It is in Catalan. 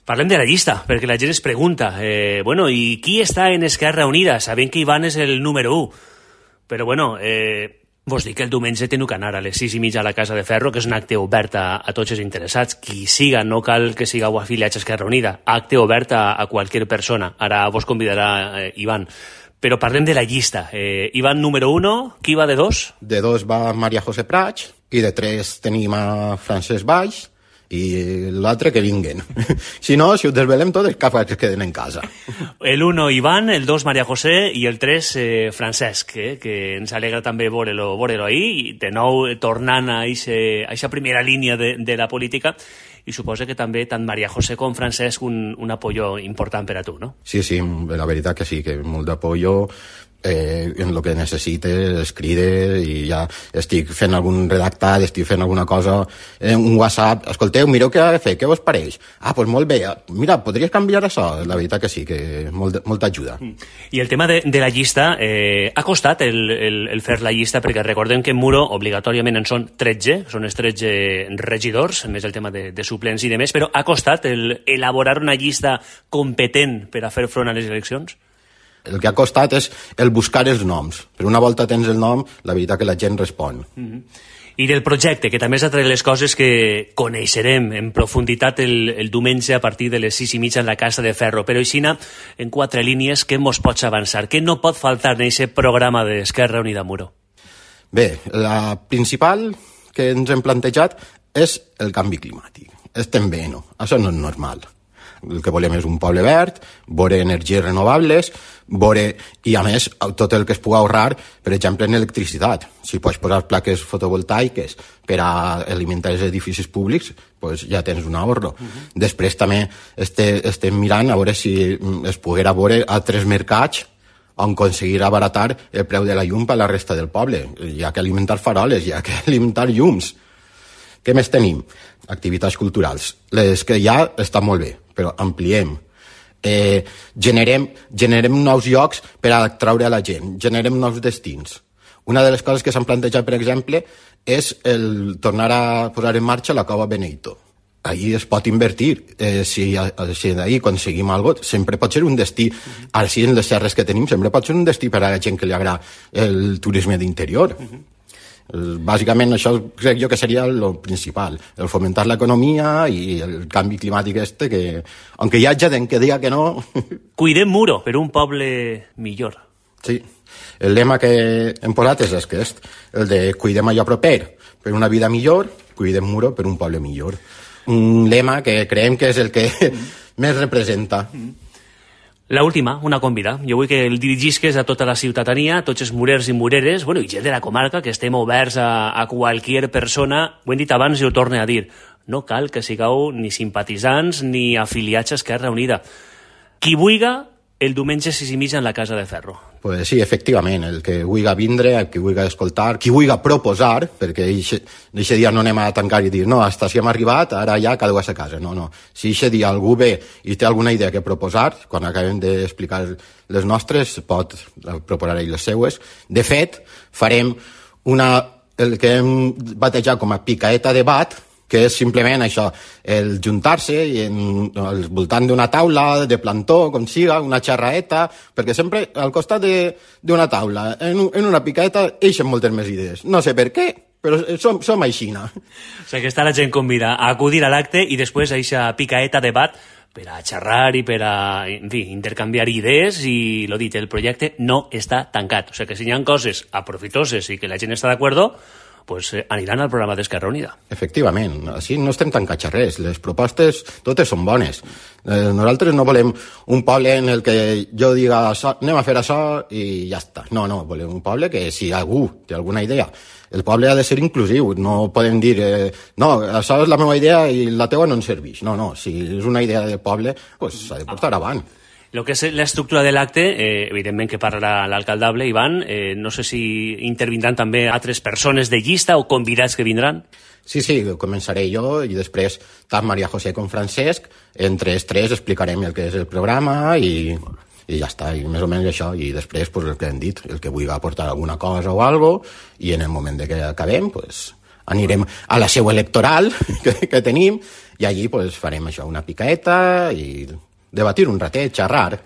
Parlem de la llista, perquè la gent es pregunta, i qui està en Esquerra Unida? Sabem que Ivan és el número 1, però vos dic que el diumenge teniu que anar a les 6:30 a la Casa de Ferro, que és un acte obert a tots els interessats. Qui siga, no cal que sigueu afiliats a Esquerra Unida, acte obert a qualsevol persona. Ara vos convidarà Ivan. Però parlem de la llista. Ivan, número 1, qui va de 2? De 2 va Maria José Prats, i de 3 tenim a Francesc Valls, i l'altre que vinguen. Si no, si ho desvelem tot, els que queden en casa. El 1 Ivan, el 2 Maria José i el 3 Francesc, que ens alegra també veure-lo ahir, i de nou tornant a aquesta primera línia de la política, i suposa que també tant Maria José com Francesc un apoyo important per a tu, no? Sí, la veritat que sí, que molt d'apoyo. En el que necessite es cride i ja estic fent algun redactat, estic fent alguna cosa en un WhatsApp, escolteu, mireu què ha de fer, què vos pareix? Doncs molt bé, mira, podries canviar això? La veritat que sí, que molta ajuda. I el tema de la llista, ha costat el fer la llista, perquè recordem que en Muro obligatòriament en són 13, són els 13 regidors, més el tema de suplents i de més, però ha costat elaborar una llista competent per a fer front a les eleccions? El que ha costat és el buscar els noms. Però una volta tens el nom, la veritat que la gent respon. I del projecte, que també és altra de les coses que coneixerem en profunditat el diumenge a partir de les 6:30 en la Casa de Ferro. Però així, en 4 línies, què mos pots avançar? Què no pot faltar en aquest programa d'Esquerra Unida Muro? Bé, la principal que ens hem plantejat és el canvi climàtic. Estem bé, no? Això no és normal. El que volem és un poble verd, veure energies renovables, i a més tot el que es pugui ahorrar, per exemple, en electricitat. Si pots posar plaques fotovoltaiques per a alimentar els edificis públics, doncs ja tens un ahorro. Després també estem mirant a veure si es poguera veure altres mercats on aconseguir abaratar el preu de la llum per a la resta del poble. Hi ha que alimentar faroles, hi ha que alimentar llums. Què més tenim? Activitats culturals. Les que ja estan molt bé, però ampliem. Generem nous llocs per a atraure a la gent, generem nous destins. Una de les coses que s'han plantejat, per exemple, és el tornar a posar en marxa la Cova Beneito. Ahí es pot invertir. Si d'ahir aconseguim alguna cosa, sempre pot ser un destí. Ara sí, en les serres que tenim, sempre pot ser un destí per a la gent que li agrada el turisme d'interior. Bàsicament això crec jo que seria el principal, el fomentar l'economia i el canvi climàtic que, aunque hi ha gent que diga que no... Cuidem Muro per un poble millor. Sí, el lema que hem posat és aquest, el de cuidem allò proper per una vida millor, cuidem Muro per un poble millor. Un lema que creiem que és el que més representa. La última, una convida. Jo vull que el dirigisques a tota la ciutadania, a tots els murers i mureres, i gent de la comarca, que estem oberts a qualsevol persona. Ho hem dit abans i ho torno a dir. No cal que sigueu ni simpatitzants ni afiliats a Esquerra Unida. Qui vulga, el diumenge 6:30 en la Casa de Ferro. Pues sí, efectivament, el que vulga vindre, el que vulga escoltar, qui vulga proposar, perquè aquest dia no anem a tancar i dir no, hasta si hem arribat, ara ja cada a casa. No. Si aquest dia algú ve i té alguna idea que proposar, quan acabem d'explicar les nostres, pot proposar ell les seues. De fet, farem el que hem batejat com a picaeta debat, que és simplement això, el juntar-se al voltant d'una taula, de plantó, com siga, una xerraeta, perquè sempre al costat d'una taula, en una picaeta, eixen moltes més idees. No sé per què, però som aixina. O sigui que està la gent convida a acudir a l'acte i després a aquesta picaeta debat per a xerrar i per a, en fi, intercanviar idees i, lo dit, el projecte no està tancat. O sigui que si hi ha coses aprofitoses i que la gent està d'acord, pues aniran al programa d'Esquerra Unida. Efectivament, així no estem tancats a res, les propostes totes són bones. Nosaltres no volem un poble en el que jo diga anem a fer això i ja està. No, volem un poble que si algú té alguna idea, el poble ha de ser inclusiu, no podem dir no, això és la meva idea i la teua no ens serveix. No, si és una idea del poble, pues s'ha de portar avant. El que és l'estructura de l'acte, evidentment que parlarà l'alcaldable, Ivan, no sé si intervindran també altres persones de llista o convidats que vindran. Sí, començaré jo i després tant Maria José com Francesc, entre els tres explicarem el que és el programa i ja està, i més o menys això, i després pues, el que hem dit, el que vulgui aportar alguna cosa o algo, i en el moment de que acabem, pues, anirem a la seu electoral que tenim i allí pues, farem això, una picaeta i debatir un ratet, xerrar.